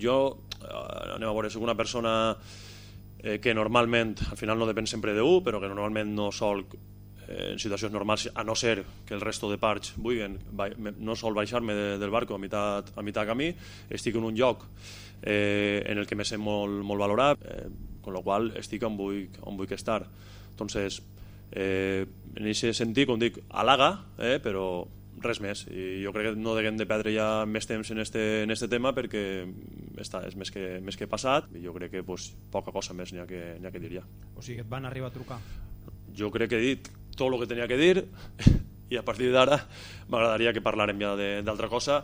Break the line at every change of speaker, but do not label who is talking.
Jo, anem a veure, soc una persona que normalment, al final no depèn sempre d'un, però que normalment no sol, en situacions normals, a no ser que el resto de parts vulguin, no sol baixar-me del barco a mitjà camí. Estic en un lloc en el que me sent molt valorat, con lo qual estic on vull estar. Entonces, en aquest sentit, com dic, halaga, però res més. I jo crec que no haguem de perdre ja més temps en este tema, perquè és més que passat, i jo crec que poca cosa més n'hi ha que dir ja.
O sigui que et van arribar a trucar?
Jo crec que he dit tot el que tenia que dir, i a partir d'ara m'agradaria que parlàrem ja d'altra cosa,